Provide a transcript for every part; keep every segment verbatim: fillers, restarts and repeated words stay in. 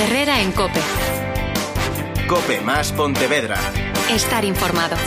Herrera en COPE. COPE más Pontevedra. Estar informado.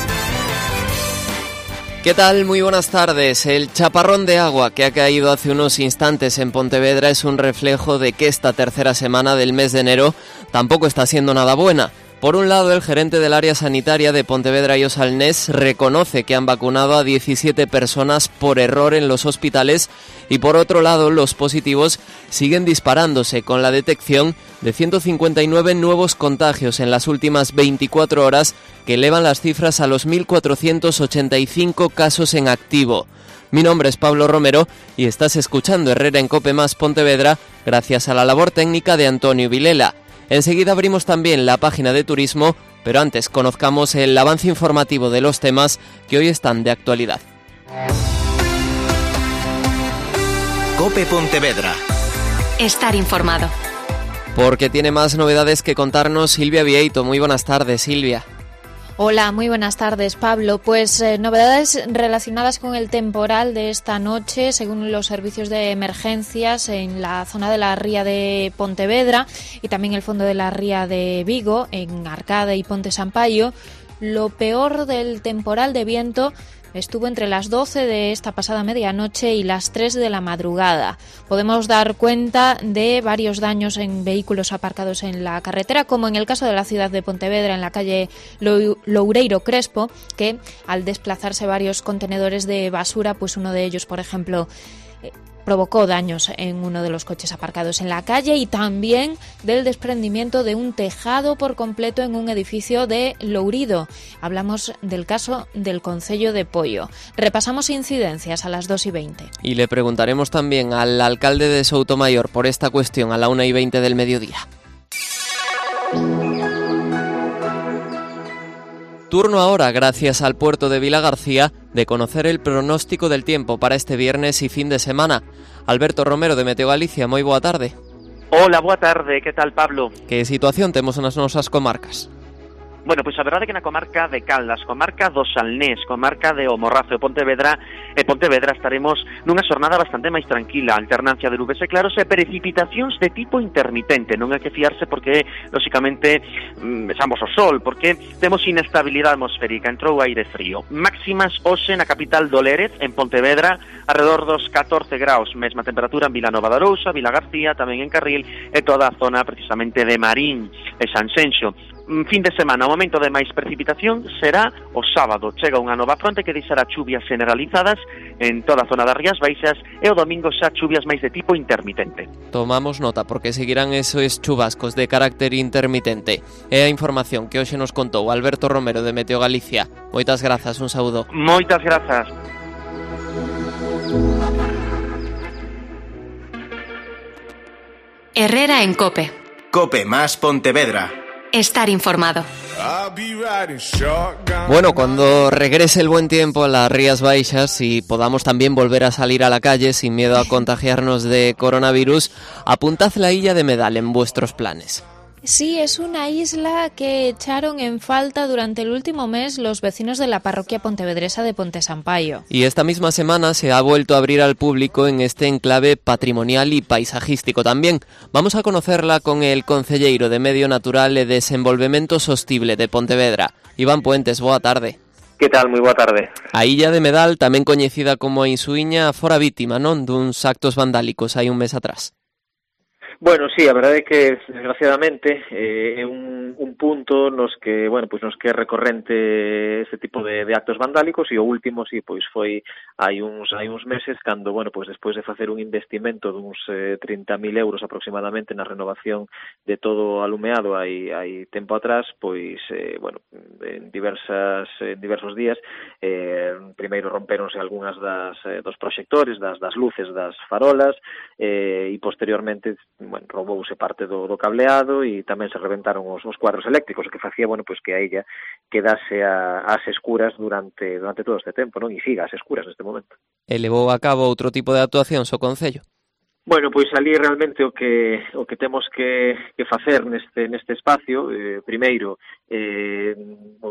¿Qué tal? Muy buenas tardes. El chaparrón de agua que ha caído hace unos instantes en Pontevedra es un reflejo de que esta tercera semana del mes de enero tampoco está siendo nada buena. Por un lado, el gerente del área sanitaria de Pontevedra y Osalnés reconoce que han vacunado a diecisiete personas por error en los hospitales y por otro lado, los positivos siguen disparándose con la detección de ciento cincuenta y nueve nuevos contagios en las últimas veinticuatro horas que elevan las cifras a los mil cuatrocientos ochenta y cinco casos en activo. Mi nombre es Pablo Romero y estás escuchando Herrera en COPE más Pontevedra gracias a la labor técnica de Antonio Vilela. Enseguida abrimos también la página de turismo, pero antes conozcamos el avance informativo de los temas que hoy están de actualidad. COPE Pontevedra. Estar informado. Porque tiene más novedades que contarnos Silvia Vieito. Muy buenas tardes, Silvia. Hola, muy buenas tardes, Pablo. Pues eh, novedades relacionadas con el temporal de esta noche, según los servicios de emergencias en la zona de la ría de Pontevedra y también el fondo de la ría de Vigo, en Arcade y Ponte Sampaio. Lo peor del temporal de viento estuvo entre las doce de esta pasada medianoche y las tres de la madrugada. Podemos dar cuenta de varios daños en vehículos aparcados en la carretera, como en el caso de la ciudad de Pontevedra, en la calle Loureiro Crespo, que al desplazarse varios contenedores de basura, pues uno de ellos, por ejemplo, eh, provocó daños en uno de los coches aparcados en la calle, y también del desprendimiento de un tejado por completo en un edificio de Lourido. Hablamos del caso del concello de Poio. Repasamos incidencias a las dos y veinte. Y le preguntaremos también al alcalde de Soutomayor por esta cuestión a la una y veinte del mediodía. Turno ahora, gracias al puerto de Vilagarcía, de conocer el pronóstico del tiempo para este viernes y fin de semana. Alberto Romero, de Meteo Galicia, moi boa tarde. Hola, boa tarde, que tal, Pablo? Que situación temos nas nosas comarcas? Bueno, pois a verdade é que na comarca de Caldas, comarca do Salnés, comarca de O Morrazo e Pontevedra, e Pontevedra estaremos nunha xornada bastante máis tranquila, alternancia de nubes e claros e precipitacións de tipo intermitente. Non hai que fiarse porque, lóxicamente, vexamos o sol, porque temos inestabilidade atmosférica, entrou aire frío. Máximas hoxe na capital do Lérez, en Pontevedra, alrededor dos catorce graus, mesma temperatura en Vilanova de Arousa, Vilagarcía, tamén en Carril, e toda a zona precisamente de Marín e Sanxenxo. Fin de semana, o momento de máis precipitación será o sábado. Chega unha nova fronte que deixará chuvias generalizadas en toda a zona das Rías Baixas e o domingo xa chuvias máis de tipo intermitente. Tomamos nota porque seguirán esos chubascos de carácter intermitente. É a información que hoxe nos contou Alberto Romero de Meteo Galicia. Moitas grazas, un saúdo. Moitas grazas. Herrera en COPE. COPE más Pontevedra. Estar informado. Bueno, cuando regrese el buen tiempo a las Rías Baixas y podamos también volver a salir a la calle sin miedo a contagiarnos de coronavirus, apuntad la illa de Medal en vuestros planes. Sí, es una isla que echaron en falta durante el último mes los vecinos de la parroquia pontevedresa de Ponte Sampaio. Y esta misma semana se ha vuelto a abrir al público en este enclave patrimonial y paisajístico también. Vamos a conocerla con el concelleiro de Medio Natural e Desenvolvemento Sostible de Pontevedra, Iván Puentes. Boa tarde. Que tal? Moi boa tarde. A illa de Medal, tamén coñecida como a Insuíña, fora vítima, non, duns actos vandálicos hai un mes atrás. Bueno, sí, a verdade é que, desgraciadamente, eh, é un, un punto nos que, bueno, pois nos que é recorrente este tipo de, de actos vandálicos, e o último, sí, pois foi hai uns hai uns meses, cando, bueno, pois despois de facer un investimento duns eh, trinta mil euros aproximadamente na renovación de todo o alumeado hai, hai tempo atrás, pois, eh, bueno, en diversas en diversos días, eh, primeiro romperonse algunhas das, eh, dos proxectores, das, das luces das farolas, eh, e posteriormente, bueno, roubouse parte do, do cableado e tamén se reventaron os, os cuadros eléctricos, o que facía, bueno, pois que a illa quedase a, ás escuras durante durante todo este tempo, non? E siga ás escuras neste momento. E levou a cabo outro tipo de actuacións o Concello? Bueno, pois ali realmente o que o que temos que, que facer neste neste espacio, eh, primeiro, eh,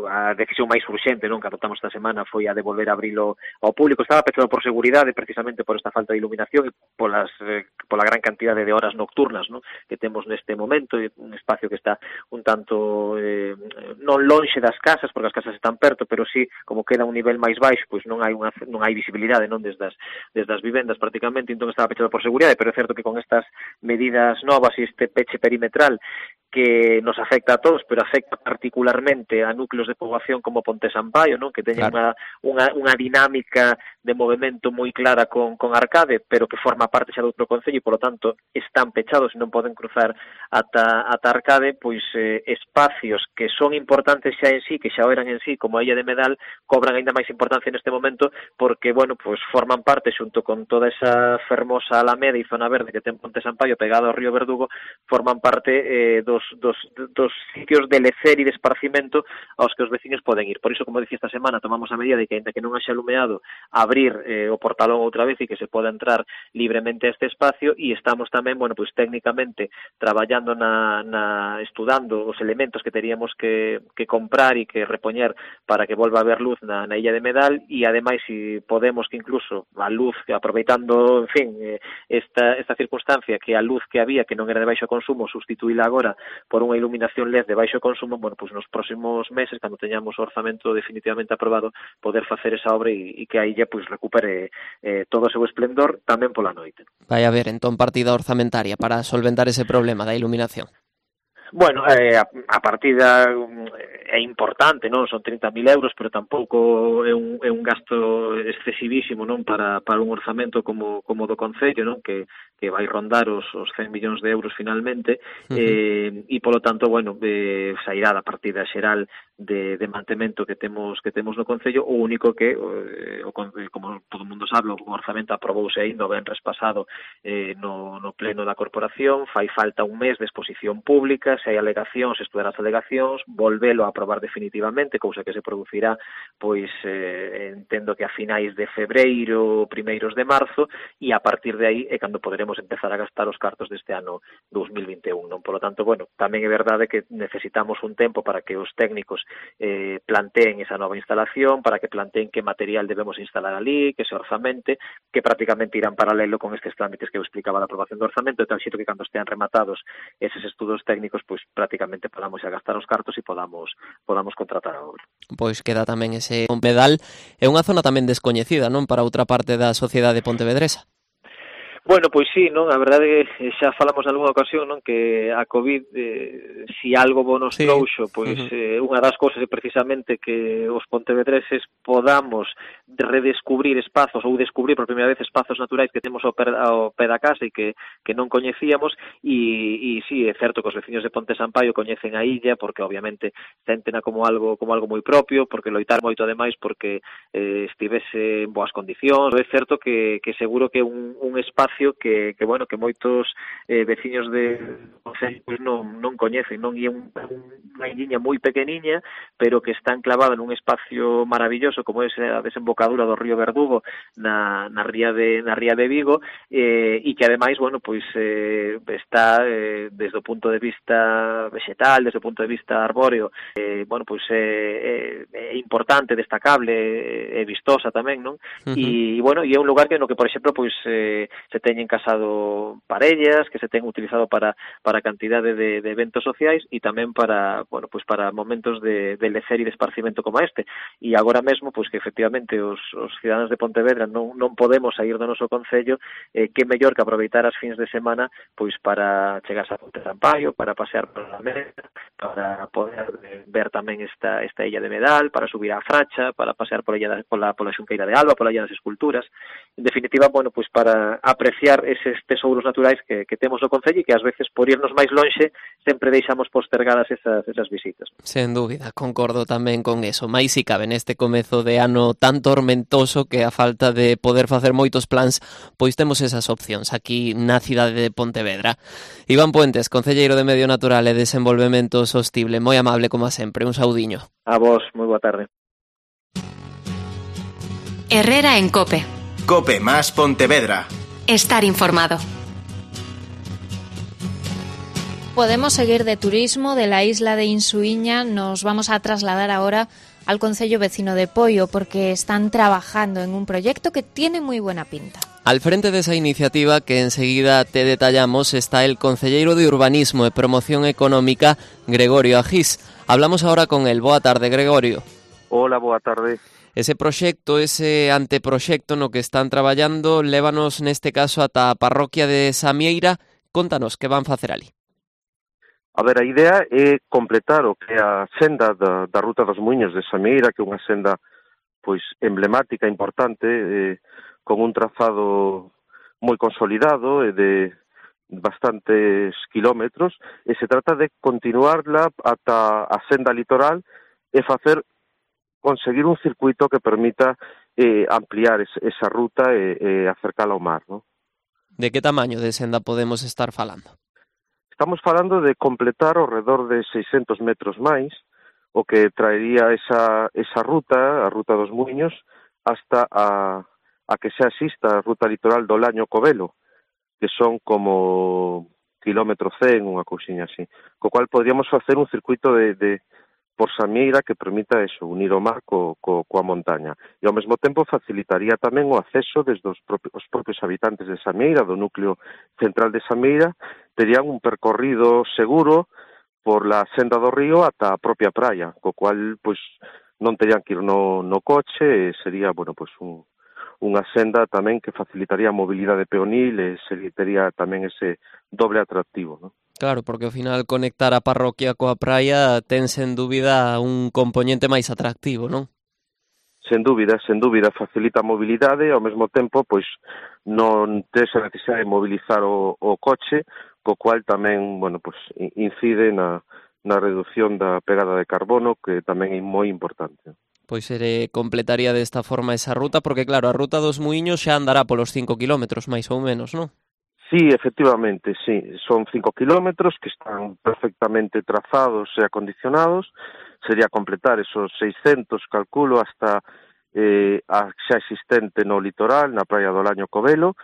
a decisión máis urxente, non, que adoptamos esta semana foi a de volver a abrilo ao público. Estaba pechado por seguridade, precisamente por esta falta de iluminación e polas eh, pola gran cantidade de horas nocturnas, non, que temos neste momento, un espacio que está un tanto eh, non lonxe das casas, porque as casas están perto, pero sí, como queda un nivel máis baixo, pois non hai unha non hai visibilidade, non, desde as desde as vivendas prácticamente, entón estaba pechado por seguridade, pero é certo que con estas medidas novas e este peche perimetral que nos afecta a todos, pero afecta particularmente a núcleos de poboación como Ponte Sampaio, non, que teñen claro. unha, unha, unha dinámica de movimento moi clara con, con Arcade, pero que forma parte xa de outro concello e, polo tanto, están pechados e non poden cruzar ata, ata Arcade, pois eh, espacios que son importantes xa en sí, que xa eran en sí, como a Illa de Medal, cobran ainda máis importancia neste momento, porque, bueno, pois forman parte, xunto con toda esa fermosa alameda e zona verde que ten Ponte Sampaio pegado ao río Verdugo, forman parte eh, dos, dos, dos sitios de lecer e de esparcimento aos que os veciños poden ir. Por iso, como dicía esta semana, tomamos a medida de que, ainda que non haxa alumeado, abrir eh, o portalón outra vez e que se poda entrar libremente a este espacio, e estamos tamén, bueno, pois técnicamente traballando na, na estudando os elementos que teríamos que, que comprar e que repoñer para que volva a haber luz na, na Illa de Medal, e ademais, se podemos, que incluso a luz, aproveitando, en fin, eh, esta, esta circunstancia, que a luz que había, que non era de baixo consumo, sustituíla agora por unha iluminación L E D de baixo consumo, bueno, pois nos próximos meses, cando teñamos o orzamento definitivamente aprobado, poder facer esa obra e, e que a illa pois recupere eh, todo o seu esplendor tamén pola noite. Vai haber entón partida orzamentaria para solventar ese problema da iluminación. Bueno, eh, a, a partida é importante, non? Son trinta mil euros, pero tampouco é un, é un gasto excesivísimo, non? Para, para un orzamento como, como do Concello, non? Que, que vai rondar os, os cen millóns de euros finalmente, uh-huh. eh, e polo tanto, bueno, eh, sairá da partida xeral de, de mantemento que temos que temos no Concello. O único que, eh, o, como todo o mundo sabe, o orzamento aprobouse ainda o venres pasado eh, no, no pleno da corporación, fai falta un mes de exposición pública, se hai alegacións, estudar as alegacións, volvelo a aprobar definitivamente, cousa que se producirá, pois, eh, entendo que a finais de febreiro, primeiros de marzo, e a partir de aí é cando poderemos empezar a gastar os cartos deste ano dos mil vinte e un, non? Por lo tanto, bueno, tamén é verdade que necesitamos un tempo para que os técnicos eh, planteen esa nova instalación, para que planteen que material debemos instalar ali, que se orzamente, que prácticamente irán paralelo con estes trámites que eu explicaba da aprobación do orzamento, de tal xeito que cando estean rematados eses estudos técnicos, pois prácticamente podamos a gastar os cartos e podamos podamos contratar a obra. Pois queda tamén ese Medal, é unha zona tamén descoñecida, non, para outra parte da sociedade pontevedresa. Bueno, pois sí, non, a verdade é que xa falamos nalgúna ocasión, non, que a COVID, eh, si algo bo nos sí. trouxo, pois uh-huh. eh, unha das cousas é precisamente que os pontevedreses podamos redescubrir espazos ou descubrir por primeira vez espazos naturais que temos ao pé, ao pé da casa e que, que non coñecíamos, e, e sí, é certo que os veciños de Ponte Sampaio coñecen a illa porque obviamente sentena como algo como algo moi propio, porque loitar moito ademais porque eh, estivese en boas condicións. É certo que, que seguro que un, un espacio que, que bueno, que moitos eh, veciños de Concello pues, non, non coñecen, non? E é un, unha illiña moi pequeniña, pero que está enclavada nun espacio maravilloso como é a desembocadura do río Verdugo na, na ría de na ría de Vigo, eh, e que ademais, bueno, pois eh, está eh, desde o punto de vista vegetal, desde o punto de vista arbóreo, eh, bueno, pois é, é, é importante, destacable, é vistosa tamén, non? Uh-huh. E, bueno, e é un lugar que no que, por exemplo, pois eh, se teñen casado parellas, que se ten utilizado para para cantidade de, de eventos sociais e tamén para, bueno, pues para momentos de, de lecer e de esparcimento como este. E agora mesmo, pues que efectivamente os, os cidadáns de Pontevedra non, non podemos sair do noso concello, eh, que mellor que aproveitar as fins de semana pois para chegarse a Ponte Sampaio, para pasear por a Meda, para poder ver tamén esta esta illa de Medal, para subir á Fracha, para pasear pola illa pola pola Xunqueira de Alba, pola illa das Esculturas. En definitiva, bueno, pues para apreciar eses tesouros naturais que, que temos no concello e que ás veces por irnos máis lonxe sempre deixamos postergadas esas, esas visitas. Sen dúbida, concordo tamén con eso. Mais si cabe neste comezo de ano tan tormentoso que a falta de poder facer moitos plans, pois temos esas opcións aquí na cidade de Pontevedra. Iván Puentes, concelleiro de Medio Natural e Desenvolvemento Sostible, moi amable como sempre, un saudiño. A vos, moi boa tarde. Herrera en COPE. COPE más Pontevedra. Estar informado. Podemos seguir de turismo de la isla de Insuiña. Nos vamos a trasladar ahora al concello vecino de Poio porque están trabajando en un proyecto que tiene muy buena pinta. Al frente de esa iniciativa que enseguida te detallamos está el concelleiro de Urbanismo e Promoción Económica, Gregorio Agís. Hablamos ahora con él. Boa tarde, Gregorio. Hola, boa tarde. Ese proxecto, ese anteproxecto no que están traballando, lévanos neste caso ata a parroquia de Samieira. Contanos que van facer ali. A ver, a idea é completar o que é a senda da, da Ruta dos Muiños de Samieira, que é unha senda pois emblemática, importante, eh, con un trazado moi consolidado e de bastantes kilómetros, e se trata de continuarla ata a senda litoral e facer conseguir un circuito que permita eh, ampliar es, esa ruta e, e acercala ao mar, ¿no? De que tamaño de senda podemos estar falando? Estamos falando de completar ao redor de seiscentos metros máis, o que traería esa, esa ruta, a Ruta dos Muiños, hasta a, a que xa exista a ruta litoral do Laño Covelo, que son como kilómetro cen, unha cousiña así. Co cual podríamos facer un circuito de, de por Samieira que permita eso, unir o mar co, co, coa montaña. E ao mesmo tempo facilitaría tamén o acceso desde os propios, os propios habitantes de Samieira, do núcleo central de Samieira, terían un percorrido seguro por la senda do río ata a propia praia, co cual pois non terían que ir no, no coche, e sería, bueno, pois un, unha senda tamén que facilitaría a mobilidade peonil e sería tamén ese doble atractivo, ¿no? Claro, porque ao final conectar a parroquia coa praia ten sen dúbida un componente máis atractivo, non? Sen dúbida, sen dúbida, facilita a mobilidade e ao mesmo tempo pois non tes a necesidade de mobilizar o, o coche, co cual tamén, bueno, pois incide na, na reducción da pegada de carbono, que tamén é moi importante. Pois se completaría desta forma esa ruta, porque claro, a Ruta dos Muiños xa andará polos cinco kilómetros, máis ou menos, non? Sí, efectivamente, sí. Son cinco kilómetros que están perfectamente trazados e acondicionados. Sería completar esos seiscentos, calculo, hasta eh, a xa existente no litoral, na praia do Laño Covelo.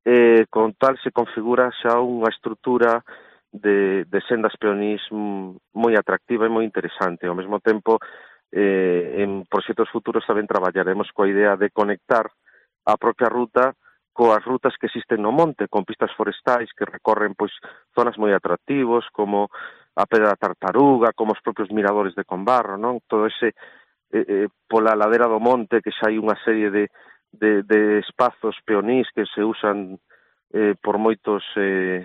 Eh, con tal se configura xa unha estrutura de, de sendas peonís moi atractiva e moi interesante. Ao mesmo tempo, eh, en proxectos futuros tamén traballaremos coa idea de conectar a propia ruta coas rutas que existen no monte, con pistas forestais que recorren pois zonas moi atractivos, como a Pedra da Tartaruga, como os propios miradores de Combarro, non? Todo ese, eh, eh, pola ladera do monte, que xa hai unha serie de, de, de espazos peonís que se usan eh, por moitos eh,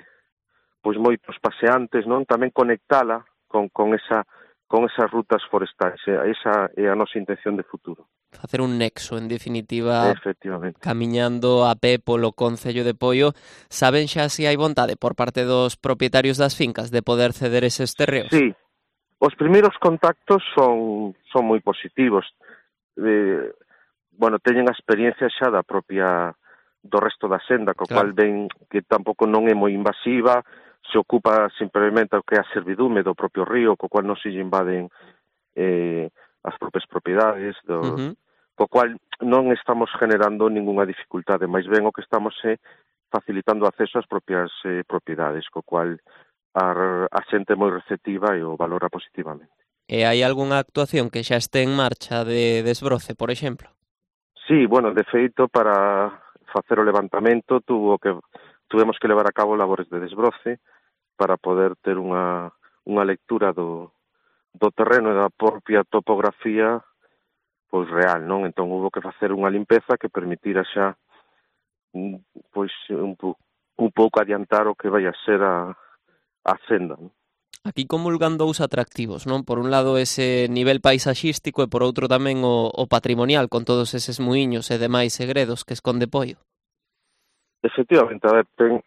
pois moitos paseantes, non? Tamén conectala con, con, esa, con esas rutas forestais. Esa é a nosa intención de futuro. Facer un nexo, en definitiva, efectivamente, camiñando a pé polo concello de Poio. Saben xa se hai vontade por parte dos propietarios das fincas de poder ceder eses terreos? Sí, os primeiros contactos son, son moi positivos. Eh, bueno, teñen a experiencia xa da propia do resto da senda, co claro. cual ven que tampouco non é moi invasiva, se ocupa simplemente o que é a servidume do propio río, co cual non se invaden eh, as propias propiedades, do, uh-huh. co cual non estamos generando ningunha dificultade, máis ben o que estamos é facilitando o acceso ás propias eh, propiedades, co cual a, a xente é moi receptiva e o valora positivamente. E hai algunha actuación que xa este en marcha de desbroce, por exemplo? Sí, bueno, de feito, para facer o levantamento tuvo que tuvemos que levar a cabo labores de desbroce para poder ter unha, unha lectura do do terreno e da propia topografía pois real, non? Entón hubo que facer unha limpeza que permitira xa pois un, un pouco adiantar o que vai a ser a, a senda, non? Aquí comulgan dous atractivos, non? Por un lado ese nivel paisaxístico e por outro tamén o, o patrimonial, con todos eses muiños e demais segredos que esconde Poio. Efectivamente, a ver, ten,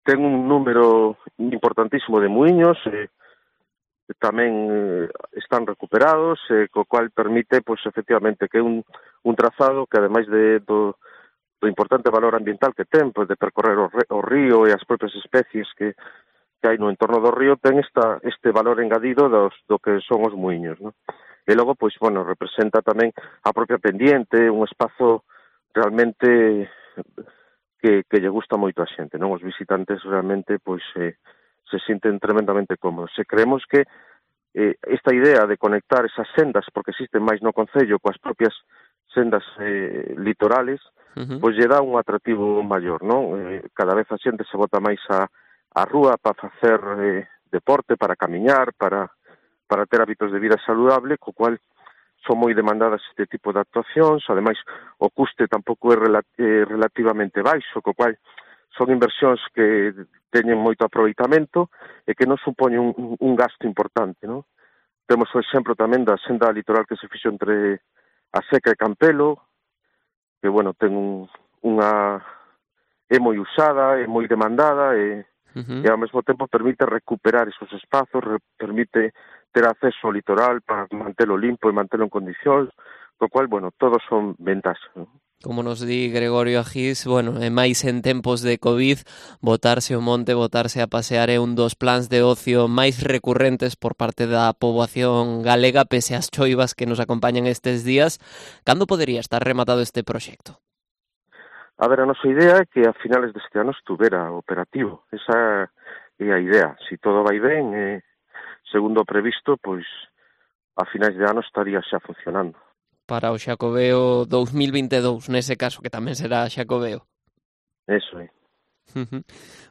ten un número importantísimo de muiños, e tamén eh, están recuperados, eh, co cual permite, pois, efectivamente, que é un, un trazado que, ademais de, do, do importante valor ambiental que ten, pois, de percorrer o, o río e as propias especies que, que hai no entorno do río, ten esta, este valor engadido dos, do que son os muiños, non? E logo, pois, bueno, representa tamén a propia pendiente, un espazo realmente que, que lle gusta moito a xente, non? Os visitantes realmente, pois, eh, se sienten tremendamente cómodos. E creemos que eh, esta idea de conectar esas sendas, porque existen máis no concello, coas propias sendas eh, litorales, uh-huh. pois lle dá un atractivo maior, non? Eh, cada vez a xente se bota máis a, a rúa para facer eh, deporte, para camiñar, para, para ter hábitos de vida saludable, co cual son moi demandadas este tipo de actuacións. Ademais, o custe tampouco é rela- eh, relativamente baixo, co cual son inversións que teñen moito aproveitamento e que non supoñen un, un gasto importante, non? Temos o exemplo tamén da senda litoral que se fixo entre a Seca e Campelo, que, bueno, ten un, unha... é moi usada, é moi demandada e, uh-huh. e ao mesmo tempo permite recuperar esos espazos, re, permite ter acceso ao litoral para mantelo limpo e mantelo en condicións, co cual, bueno, todos son ventaxas, non? Como nos di Gregorio Agís, bueno, e máis en tempos de COVID, botarse ao monte, botarse a pasear é un dos plans de ocio máis recurrentes por parte da poboación galega, pese ás choivas que nos acompañan estes días. Cando podería estar rematado este proxecto? A ver, a nosa idea é que a finales deste ano estuvera operativo. Esa é a idea. Si todo vai ben, eh, segundo o previsto, pois a finais de ano estaría xa funcionando. Para o Xacobeo dous mil vinte e dous, nese caso, que tamén será Xacobeo. Eso é.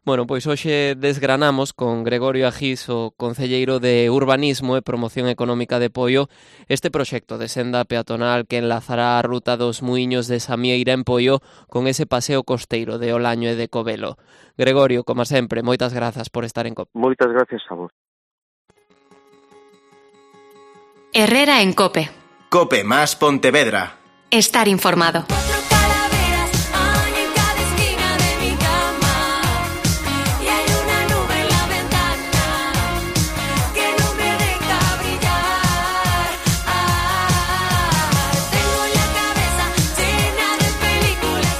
Bueno, pois hoxe desgranamos con Gregorio Agís, o concelleiro de Urbanismo e Promoción Económica de Poio, este proxecto de senda peatonal que enlazará a ruta dos Muiños de Samieira en Poio con ese paseo costeiro de Olaño e de Covelo. Gregorio, como sempre, moitas grazas por estar en COPE. Moitas gracias a vos. Herrera en COPE. COPE más Pontevedra. Estar informado.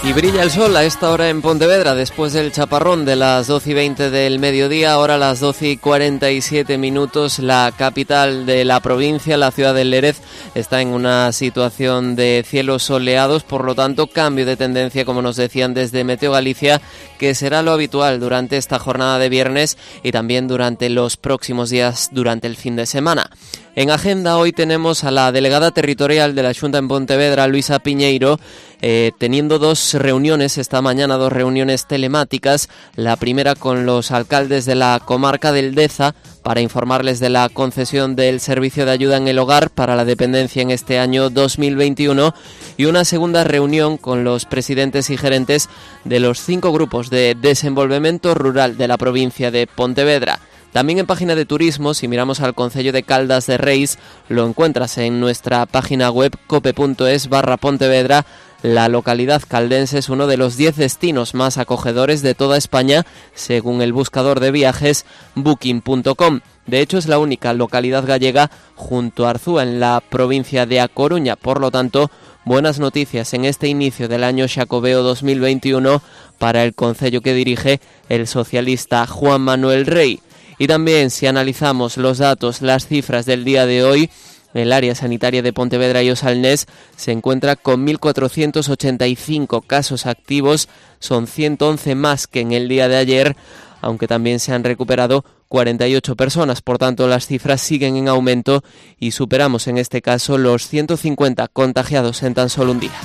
Y brilla el sol a esta hora en Pontevedra, después del chaparrón de las doce y veinte del mediodía, ahora a las doce y cuarenta y siete minutos, la capital de la provincia, la ciudad del Lérez, está en una situación de cielos soleados, por lo tanto, cambio de tendencia, como nos decían desde Meteo Galicia, que será lo habitual durante esta jornada de viernes y también durante los próximos días, durante el fin de semana. En agenda hoy tenemos a la delegada territorial de la Xunta en Pontevedra, Luisa Piñeiro, eh, teniendo dos reuniones esta mañana, dos reuniones telemáticas. La primera con los alcaldes de la comarca del Deza para informarles de la concesión del servicio de ayuda en el hogar para la dependencia en este año dos mil veintiuno, y una segunda reunión con los presidentes y gerentes de los cinco grupos de desenvolvemento rural de la provincia de Pontevedra. También en página de turismo, si miramos al concello de Caldas de Reis, lo encuentras en nuestra página web cope.es barra Pontevedra. La localidad caldense es uno de los diez destinos más acogedores de toda España, según el buscador de viajes booking punto com. De hecho, es la única localidad gallega junto a Arzúa en la provincia de A Coruña. Por lo tanto, buenas noticias en este inicio del año Xacobeo dos mil veintiuno para el concello que dirige el socialista Juan Manuel Rey. Y también, si analizamos los datos, las cifras del día de hoy, el área sanitaria de Pontevedra y Osalnés se encuentra con mil cuatrocientos ochenta y cinco casos activos, son ciento once más que en el día de ayer, aunque también se han recuperado cuarenta y ocho personas, por tanto las cifras siguen en aumento y superamos en este caso los ciento cincuenta contagiados en tan solo un día.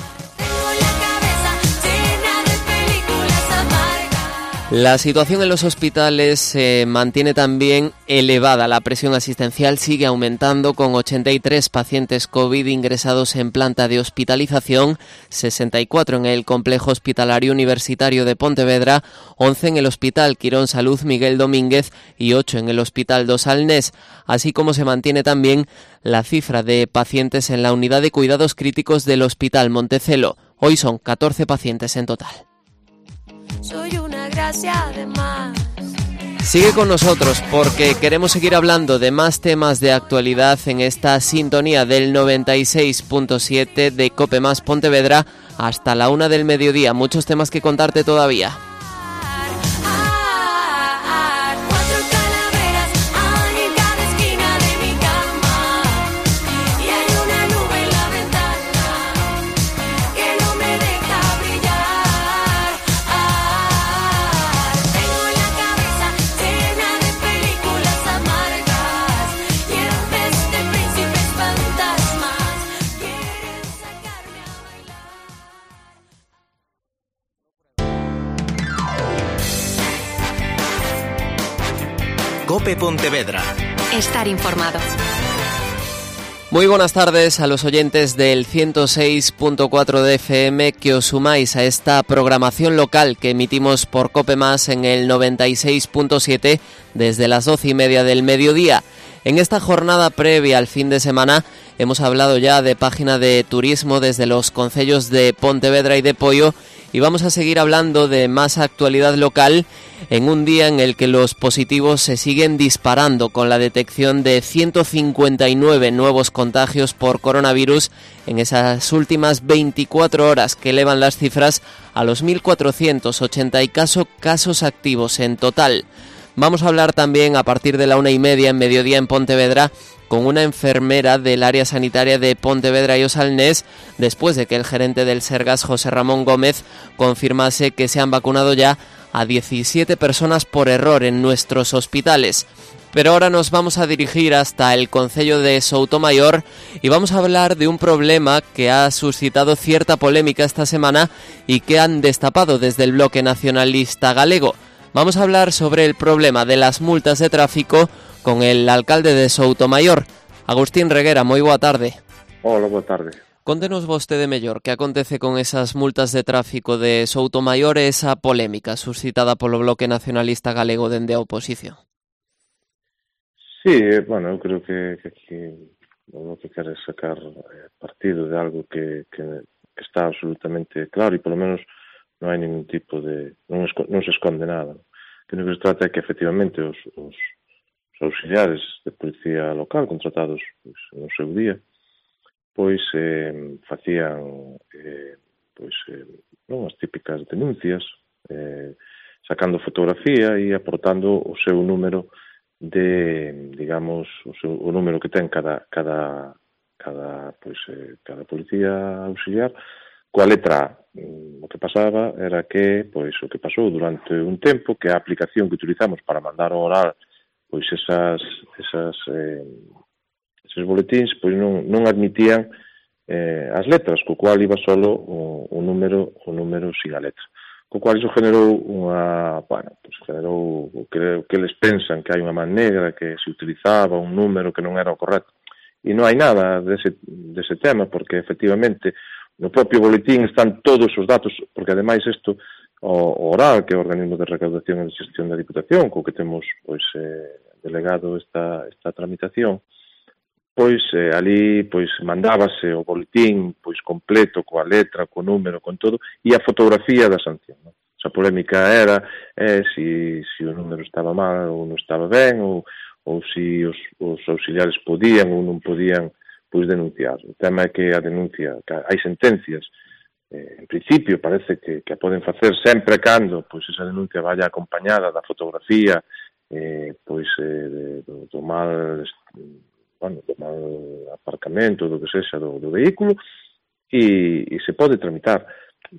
La situación en los hospitales se eh, mantiene también elevada. La presión asistencial sigue aumentando con ochenta y tres pacientes COVID ingresados en planta de hospitalización, sesenta y cuatro en el complejo hospitalario universitario de Pontevedra, once en el Hospital Quirón Salud Miguel Domínguez y ocho en el Hospital dos Alnés, así como se mantiene también la cifra de pacientes en la unidad de cuidados críticos del Hospital Montecelo. Hoy son catorce pacientes en total. Soy una gracia de más. Sigue con nosotros porque queremos seguir hablando de más temas de actualidad en esta sintonía del noventa y seis punto siete de COPE más Pontevedra hasta la una del mediodía. Muchos temas que contarte todavía. COPE Pontevedra. Estar informado. Muy buenas tardes a los oyentes del ciento seis punto cuatro de F M que os sumáis a esta programación local que emitimos por COPE Más en el noventa y seis punto siete desde las doce y media del mediodía. En esta jornada previa al fin de semana hemos hablado ya de página de turismo desde los concellos de Pontevedra y de Poio y vamos a seguir hablando de más actualidad local en un día en el que los positivos se siguen disparando con la detección de ciento cincuenta y nueve nuevos contagios por coronavirus en esas últimas veinticuatro horas que elevan las cifras a los mil cuatrocientos ochenta y casos activos en total. Vamos a hablar también a partir de la una y media en mediodía en Pontevedra con una enfermera del área sanitaria de Pontevedra y Osalnés después de que el gerente del Sergas, José Ramón Gómez, confirmase que se han vacunado ya a diecisiete personas por error en nuestros hospitales. Pero ahora nos vamos a dirigir hasta el concello de Soutomaior y vamos a hablar de un problema que ha suscitado cierta polémica esta semana y que han destapado desde el bloque nacionalista galego. Vamos a hablar sobre el problema de las multas de tráfico con el alcalde de Soutomaior, Agustín Reguera. Moi boa tarde. Hola, boa tarde. Contenos vostede mellor que acontece con esas multas de tráfico de Soutomaior e esa polémica suscitada polo bloque nacionalista galego dende a oposición. Sí, bueno, eu creo que, que aquí o que quere sacar partido de algo que, que, que está absolutamente claro e polo menos non hai ningún tipo de... non, esco, non se esconde nada. Que o que se trata é que efectivamente os, os, os auxiliares de policía local contratados pois, no seu día pois eh, facían eh, pois, eh, non as típicas denuncias eh, sacando fotografía e aportando o seu número de, digamos, o, seu, o número que ten cada cada cada pois eh, cada policía auxiliar coa letra A. O que pasaba era que, pois, o que pasou durante un tempo, que a aplicación que utilizamos para mandar ao oral, pois, esas, esas, eh, esos boletíns, pois, non, non admitían eh, as letras, co cual iba solo o, o número, o número sin a letra. Co cual iso generou unha, bueno, pois, generou o que, o que eles pensan que hai unha man negra, que se utilizaba un número que non era o correcto. E non hai nada dese, dese tema, porque, efectivamente, no propio boletín están todos os datos, porque ademais isto, o oral, que é o organismo de recaudación e de xestión da Diputación, co que temos pois eh, delegado esta, esta tramitación, pois eh, ali pois mandábase o boletín pois completo, coa letra, co número, con todo, e a fotografía da sanción. Non? Esa polémica era eh, si, si o número estaba mal ou non estaba ben, ou, ou si os, os auxiliares podían ou non podían pois denunciar. O tema é que a denuncia, que hai sentencias, eh, en principio parece que, que a poden facer sempre cando pois esa denuncia vaya acompañada da fotografía eh, pois eh, do, do mal bueno, do mal aparcamento, do que sexa do, do vehículo e, e se pode tramitar.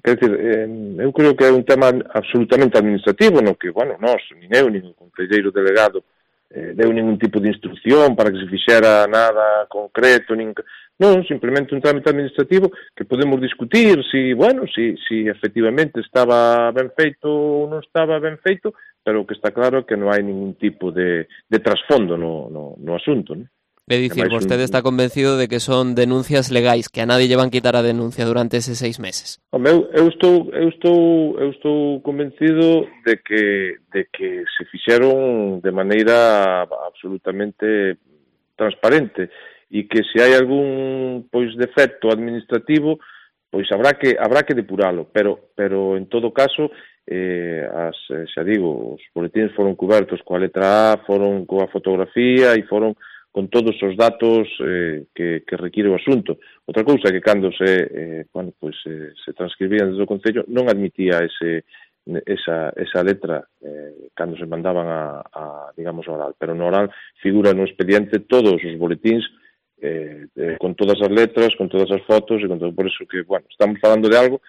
Quer dizer, eh, eu creo que é un tema absolutamente administrativo no que, bueno, nós, nin eu, nin o concelleiro delegado Eh, deu ningún tipo de instrucción para que se fixera nada concreto, nin... non, simplemente un trámite administrativo que podemos discutir si, bueno, si, si efectivamente estaba ben feito ou non estaba ben feito, pero o que está claro é que non hai ningún tipo de, de trasfondo no, no, no asunto, non? É dicir, vostede está convencido de que son denuncias legais, que a nadie lle van quitar a denuncia durante eses seis meses. Home, eu, eu estou eu estou eu estou convencido de que de que se fixeron de maneira absolutamente transparente e que se hai algún pois defecto administrativo, pois habrá que habrá que depuralo, pero pero en todo caso eh as xa digo, os boletíns foron cubertos coa letra A, foron coa fotografía e foron con todos os datos eh, que, que require o asunto. Outra cousa é que cando se, eh, bueno, pues, eh, se transcribían desde o Concello non admitía ese, esa, esa letra eh, cando se mandaban a, a, digamos, oral. Pero no oral figura no expediente todos os boletíns eh, eh, con todas as letras, con todas as fotos, e con todo, por eso que, bueno, estamos falando de algo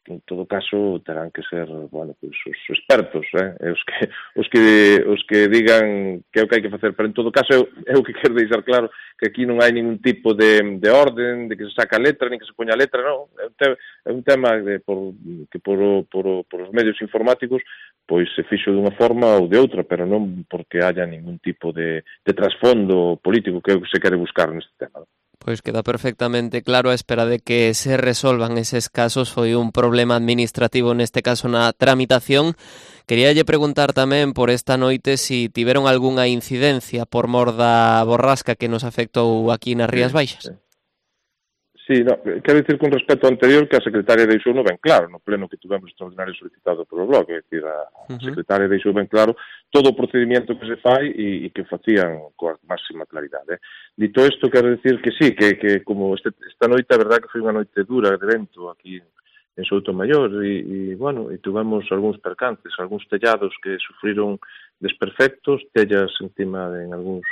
en todo caso terán que ser, bueno, pois os expertos, eh, os que os que os que digan que é o que hai que facer, pero en todo caso eu, eu que quero deixar claro que aquí non hai ningún tipo de, de orden, de que se saca a letra, nin que se poña a letra, non, é un, te, é un tema de, por, que por, por, por os medios informáticos pois se fixo dunha forma ou de outra, pero non porque haya ningún tipo de, de trasfondo político que é o que se quere buscar neste tema. Pois queda perfectamente claro, a espera de que se resolvan eses casos. Foi un problema administrativo neste caso na tramitación. Queríalle preguntar tamén por esta noite si tiveron algunha incidencia por mor da borrasca que nos afectou aquí nas Rías Baixas. Sí, sí, no, quero dicir con respecto ao anterior que a secretaria deixou ben claro no pleno que tivemos extraordinario solicitado polo blog, é dicir, a uh-huh. secretaria deixou ben claro todo o procedimento que se fai e, e que facían coa máxima claridade. Eh. Dito isto, quero dicir que sí, que, que como este, esta noite, a verdad que foi unha noite dura de vento aquí en Soutomaior e, e bueno, e tivemos algúns percances, algúns tellados que sufriron desperfectos, tellas encima de en algúns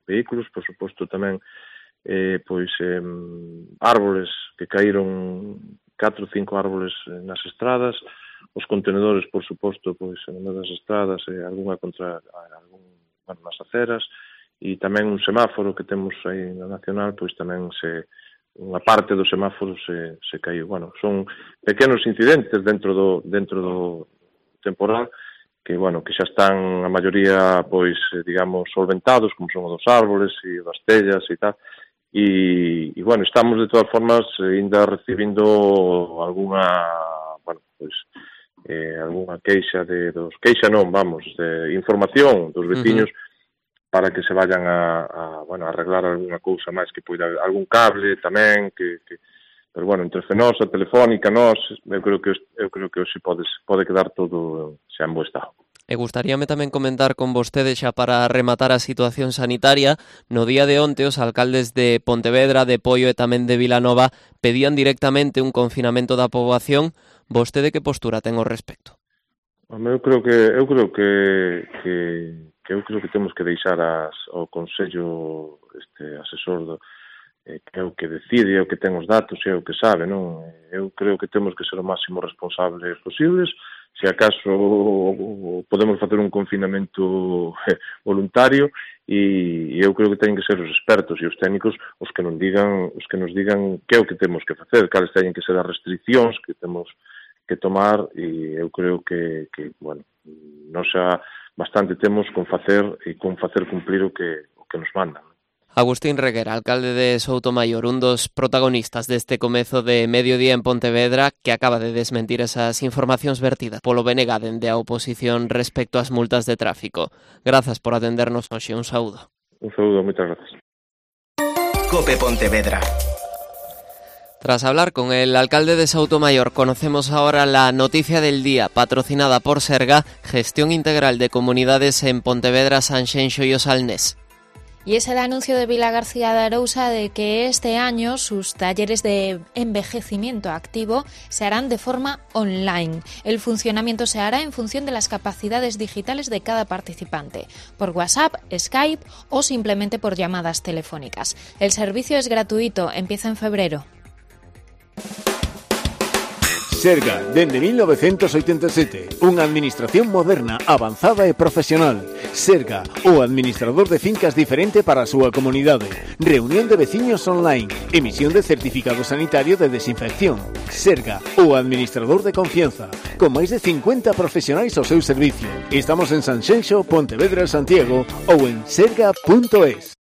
vehículos, por suposto tamén eh, pois eh, árboles que caíron, catro ou cinco árboles nas estradas, os contenedores, por suposto, pois en unha das estradas, eh, algunha contra algún, bueno, nas aceras, e tamén un semáforo que temos aí na Nacional, pois tamén se unha parte do semáforo se, se caiu. Bueno, son pequenos incidentes dentro do dentro do temporal que, bueno, que xa están a maioría, pois, digamos, solventados, como son os dos árboles e das tellas e tal. E, e bueno, estamos de todas formas ainda recibindo algunha, bueno, pois, eh, algunha queixa de dos, queixa non, vamos, de información dos veciños uh-huh. para que se vayan a, a, bueno, a arreglar algunha cousa máis que poida, algún cable tamén, que, que pero bueno, entre Fenosa, Telefónica, nós, eu creo que eu creo que hoxe pode, pode quedar todo xa en bo estado. E gustaríame tamén comentar con vostede xa para rematar a situación sanitaria. No día de onte os alcaldes de Pontevedra, de Poio e tamén de Vilanova pedían directamente un confinamento da poboación. Vostede que postura ten ao respecto? Eu creo que eu creo que, que, que eu creo que temos que deixar as, ao Consello este asesor do, eh, que é o que decide, é o que ten os datos, é o que sabe, non? Eu creo que temos que ser o máximo responsables posibles. Se acaso podemos facer un confinamento voluntario e eu creo que teñen que ser os expertos e os técnicos os que nos digan, os que nos digan que é o que temos que facer, cales teñen que ser as restriccións que temos que tomar e eu creo que, que bueno, nos xa bastante temos con facer e con facer cumplir o que, o que nos mandan. Agustín Reguera, alcalde de Soutomaior, un dos protagonistas deste comezo de mediodía en Pontevedra, que acaba de desmentir esas informacións vertidas polo B N G dende a oposición respecto ás multas de tráfico. Grazas por atendernos hoxe, un saúdo. Un saúdo, moitas grazas. COPE Pontevedra. Tras hablar con el alcalde de Soutomaior, conocemos ahora la noticia del día, patrocinada por Serga, Gestión Integral de Comunidades en Pontevedra, Sanxenxo y o Salnés. Y es el anuncio de Vila García de Arousa de que este año sus talleres de envejecimiento activo se harán de forma online. El funcionamiento se hará en función de las capacidades digitales de cada participante, por WhatsApp, Skype o simplemente por llamadas telefónicas. El servicio es gratuito, empieza en febrero. Serga, dende mil novecentos oitenta e sete, unha administración moderna, avanzada e profesional. Serga, o administrador de fincas diferente para a súa comunidade. Reunión de veciños online. Emisión de certificado sanitario de desinfección. Serga, o administrador de confianza. Con máis de cincuenta profesionais ao seu servicio. Estamos en Sanxenxo, Pontevedra, Santiago ou en serga punto es.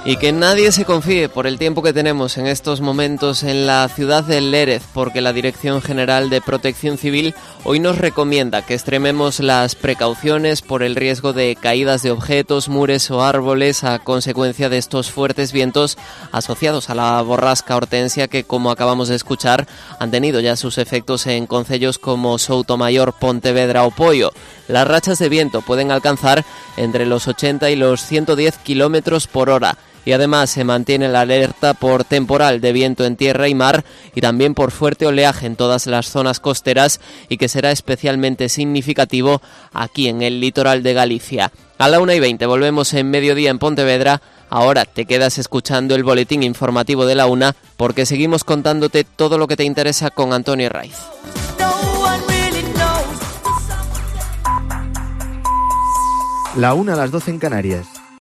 Y que nadie se confíe por el tiempo que tenemos en estos momentos en la ciudad de Lérez, porque la Dirección General de Protección Civil hoy nos recomienda que extrememos las precauciones por el riesgo de caídas de objetos, mures o árboles a consecuencia de estos fuertes vientos asociados a la borrasca Hortensia que, como acabamos de escuchar, han tenido ya sus efectos en concellos como Soutomaior, Pontevedra o Poio. Las rachas de viento pueden alcanzar entre los ochenta y los ciento diez kilómetros por hora. y además se mantiene la alerta por temporal de viento en tierra y mar y también por fuerte oleaje en todas las zonas costeras y que será especialmente significativo aquí en el litoral de Galicia. A la una y veinte volvemos en Mediodía en Pontevedra. Ahora te quedas escuchando el boletín informativo de la una porque seguimos contándote todo lo que te interesa con Antonio Raiz. La una a las doce en Canarias.